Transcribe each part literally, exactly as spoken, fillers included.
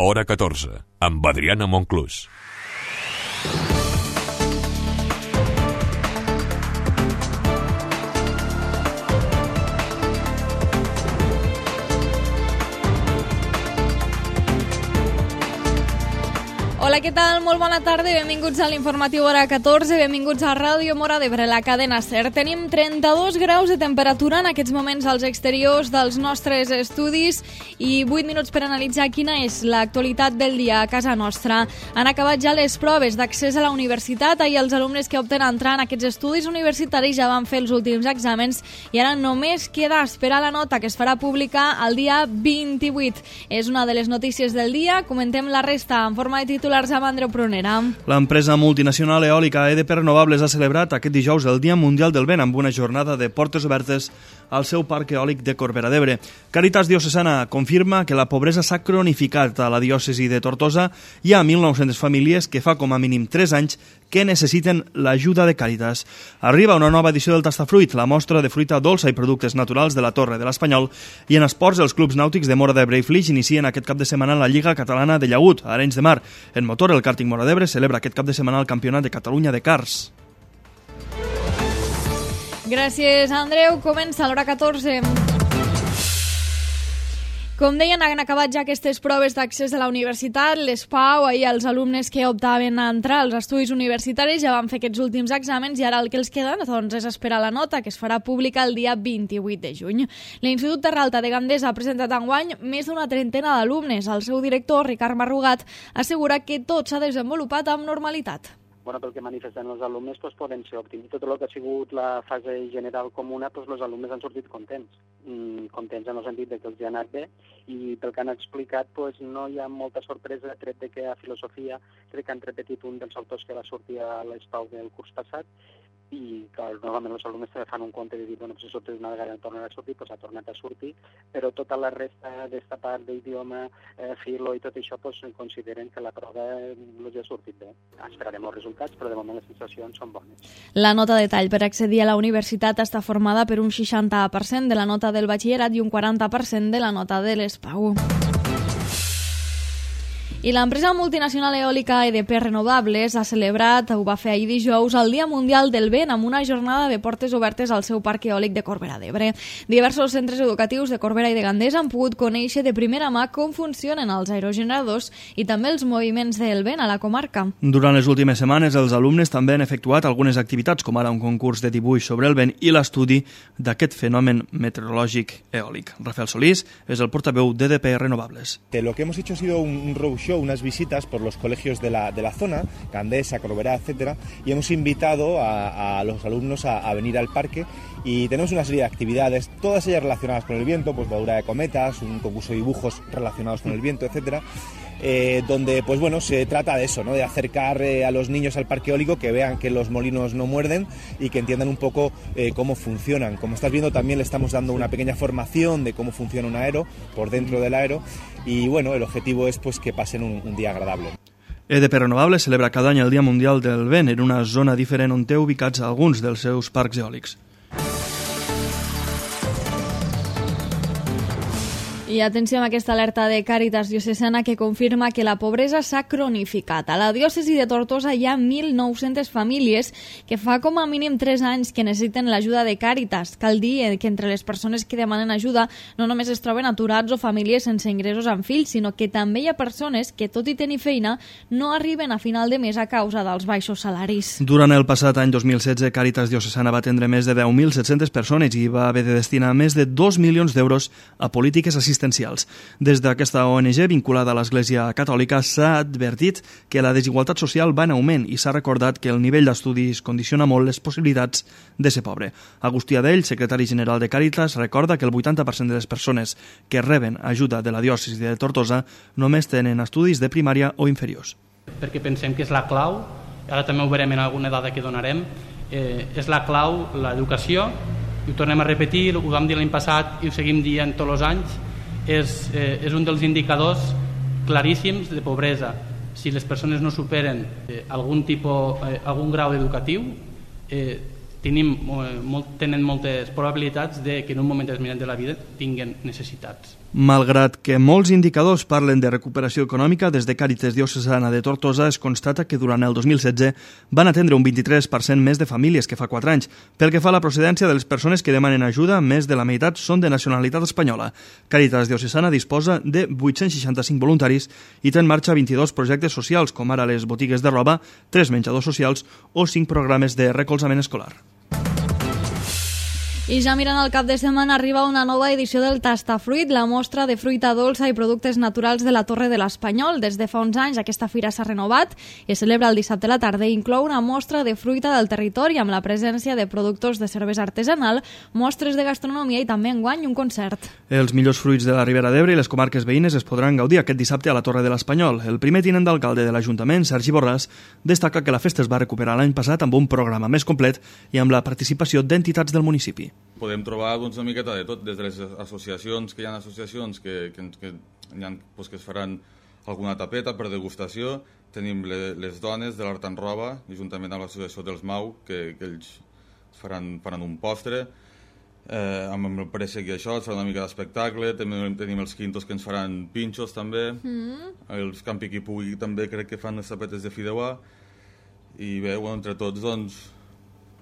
Hora catorze, amb Adriana Monclús. Hola, què tal? Molt bona tarda i benvinguts a l'informatiu Hora catorze, benvinguts a Ràdio Móra d'Ebre, la cadena SER. Tenim trenta-dos graus de temperatura en aquests moments als exteriors dels nostres estudis i vuit minuts per analitzar quina és l'actualitat del dia a casa nostra. Han acabat ja les proves d'accés a la universitat i els alumnes que opten a entrar en aquests estudis universitaris ja van fer els últims exàmens i ara només queda esperar la nota que es farà pública el dia vint-i-vuit. És una de les notícies del dia. Comentem la resta en forma de titular amb Andreu Prunera. L'empresa multinacional eòlica E D P Renovables ha celebrat aquest dijous el Dia Mundial del Vent amb una jornada de portes obertes al seu parc eòlic de Corbera d'Ebre. Càritas Diocesana confirma que la pobresa s'ha cronificat a la diòcesi de Tortosa. Hi ha mil nou-centes famílies que fa com a mínim tres anys que necessiten l'ajuda de Càritas. Arriba una nova edició del Tastafruit, la mostra de fruita dolça i productes naturals de la Torre de l'Espanyol, i en esports els clubs nàutics de Móra d'Ebre i Flix inicien aquest cap de setmana la Lliga Catalana de Llagut, a Arenys de Mar. En motor, el càrting Móra d'Ebre celebra aquest cap de setmana el Campionat de Catalunya de Cars. Gràcies, Andreu. Comença l'Hora catorze. Com deien, han acabat ja aquestes proves d'accés a la universitat, les PAU, ahir els alumnes que optaven a entrar als estudis universitaris ja van fer aquests últims exàmens i ara el que els queda doncs, és esperar la nota que es farà pública el dia vint-i-vuit de juny. L'Institut Terralta de Gandesa ha presentat enguany més d'una trentena d'alumnes. El seu director, Ricard Marrugat, assegura que tot s'ha desenvolupat amb normalitat. Bueno, pel que manifesten els alumnes, doncs, poden ser òptims. Tot el que ha sigut la fase general comuna, doncs, els alumnes han sortit contents. Mm, contents en el sentit de que els ha anat bé i pel que han explicat doncs, no hi ha molta sorpresa, tret de que a filosofia crec que han repetit un dels autors que va sortir a l'ESPAU del curs passat i clar, normalment els alumnes fan un compte de dir, bueno, si sortir una vegada tornar a sortir, doncs ha tornat a sortir, però tota la resta d'esta part d'idioma, eh, filo i tot això, doncs consideren que la prova els ha sortit bé. Esperarem els resultats, però de moment les sensacions són bones. La nota de tall per accedir a la universitat està formada per un seixanta per cent de la nota del batxillerat i un quaranta per cent de la nota de l'ESPAU. I l'empresa multinacional eòlica E D P Renovables ha celebrat, ho va fer ahir dijous, el Dia Mundial del Vent amb una jornada de portes obertes al seu parc eòlic de Corbera d'Ebre. Diversos centres educatius de Corbera i de Gandesa han pogut conèixer de primera mà com funcionen els aerogeneradors i també els moviments del vent a la comarca. Durant les últimes setmanes, els alumnes també han efectuat algunes activitats, com ara un concurs de dibuix sobre el vent i l'estudi d'aquest fenomen meteorològic eòlic. Rafael Solís és el portaveu d'E D P Renovables. Lo que hemos hecho ha sido un roadshow, unas visitas por los colegios de la, de la zona, Gandesa, Corbera, etcétera, y hemos invitado a, a los alumnos a, a venir al parque y tenemos una serie de actividades, todas ellas relacionadas con el viento, pues voladura de cometas, un concurso de dibujos relacionados con el viento, etcétera. Eh, donde pues bueno se trata de eso, ¿no? De acercar eh, a los niños al parque eólico, que vean que los molinos no muerden y que entiendan un poco eh, cómo funcionan. Como estás viendo, también le estamos dando una pequeña formación de cómo funciona un aero por dentro del aero y bueno, el objetivo es pues que pasen un, un día agradable. E D P Renovables celebra cada any el Dia Mundial del Vent en una zona diferent on té ubicats alguns dels seus parcs eòlics. I atenció amb aquesta alerta de Càritas Diocesana que confirma que la pobresa s'ha cronificat. A la diòcesi de Tortosa hi ha mil nou-centes famílies que fa com a mínim tres anys que necessiten l'ajuda de Càritas. Cal dir que entre les persones que demanen ajuda no només es troben aturats o famílies sense ingressos amb fills, sinó que també hi ha persones que, tot i tenir feina, no arriben a final de mes a causa dels baixos salaris. Durant el passat any dos mil setze, Càritas Diocesana va atendre més de deu mil set-centes persones i va haver de destinar més de dos milions d'euros a polítiques assistencials. Des d'aquesta O N G vinculada a l'Església Catòlica s'ha advertit que la desigualtat social va en augment i s'ha recordat que el nivell d'estudis condiciona molt les possibilitats de ser pobre. Agustí Adell, secretari general de Càritas, recorda que el vuitanta per cent de les persones que reben ajuda de la diòcesi de Tortosa només tenen estudis de primària o inferiors. Perquè pensem que és la clau, ara també ho veurem en alguna dada que donarem, eh, és la clau l'educació, i ho tornem a repetir, ho vam dir l'any passat i ho seguim dient tots els anys, és, eh, és un dels indicadors claríssims de pobresa. Si les persones no superen eh, algun, tipus, eh, algun grau educatiu, eh, tenim, eh, molt, tenen moltes probabilitats de que en un moment determinat de la vida tinguen necessitats. Malgrat que molts indicadors parlen de recuperació econòmica, des de Càritas Diocesana de Tortosa es constata que durant el dos mil setze van atendre un vint-i-tres per cent més de famílies que fa quatre anys. Pel que fa a la procedència de les persones que demanen ajuda, més de la meitat són de nacionalitat espanyola. Càritas Diocesana disposa de vuit-cents seixanta-cinc voluntaris i té en marxa vint-i-dos projectes socials, com ara les botigues de roba, tres menjadors socials o cinc programes de recolzament escolar. I ja mirant el cap de setmana arriba una nova edició del Tastafruit, la mostra de fruita dolça i productes naturals de la Torre de l'Espanyol. Des de fa uns anys aquesta fira s'ha renovat i es celebra el dissabte a la tarda i inclou una mostra de fruita del territori amb la presència de productors de cervesa artesanal, mostres de gastronomia i també enguany un concert. Els millors fruits de la Ribera d'Ebre i les comarques veïnes es podran gaudir aquest dissabte a la Torre de l'Espanyol. El primer tinent d'alcalde de l'Ajuntament, Sergi Borràs, destaca que la festa es va recuperar l'any passat amb un programa més complet i amb la participació d'entitats del municipi. Podem trobar doncs, una miqueta de tot, des de les associacions, que hi ha associacions que, que, que, hi ha, doncs, que es faran alguna tapeta per degustació. Tenim le, les dones de l'Art en Roba, juntament amb l'associació dels Mau, que, que ells faran, faran un postre. Eh, amb el préssec i això, es farà una mica d'espectacle. També tenim els quintos que ens faran pinxos, també. Mm. Els Campi qui pugui també crec que fan les tapetes de fideuà. I bé, bueno, entre tots, doncs,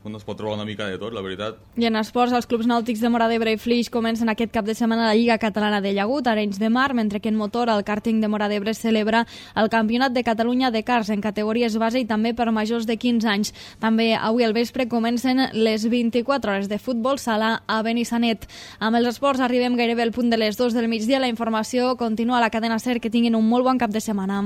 es pot trobar una mica de tot, la veritat. I en esports, els clubs nàutics de Móra d'Ebre i Flix comencen aquest cap de setmana la Lliga Catalana de Llagut, Arenys de Mar, mentre que en motor el kàrting de Móra d'Ebre celebra el Campionat de Catalunya de karts en categories base i també per majors de quinze anys. També avui al vespre comencen les vint-i-quatre hores de futbol sala a Benissanet. Amb els esports arribem gairebé al punt de les dues del migdia. La informació continua a la cadena SER. Que tinguin un molt bon cap de setmana.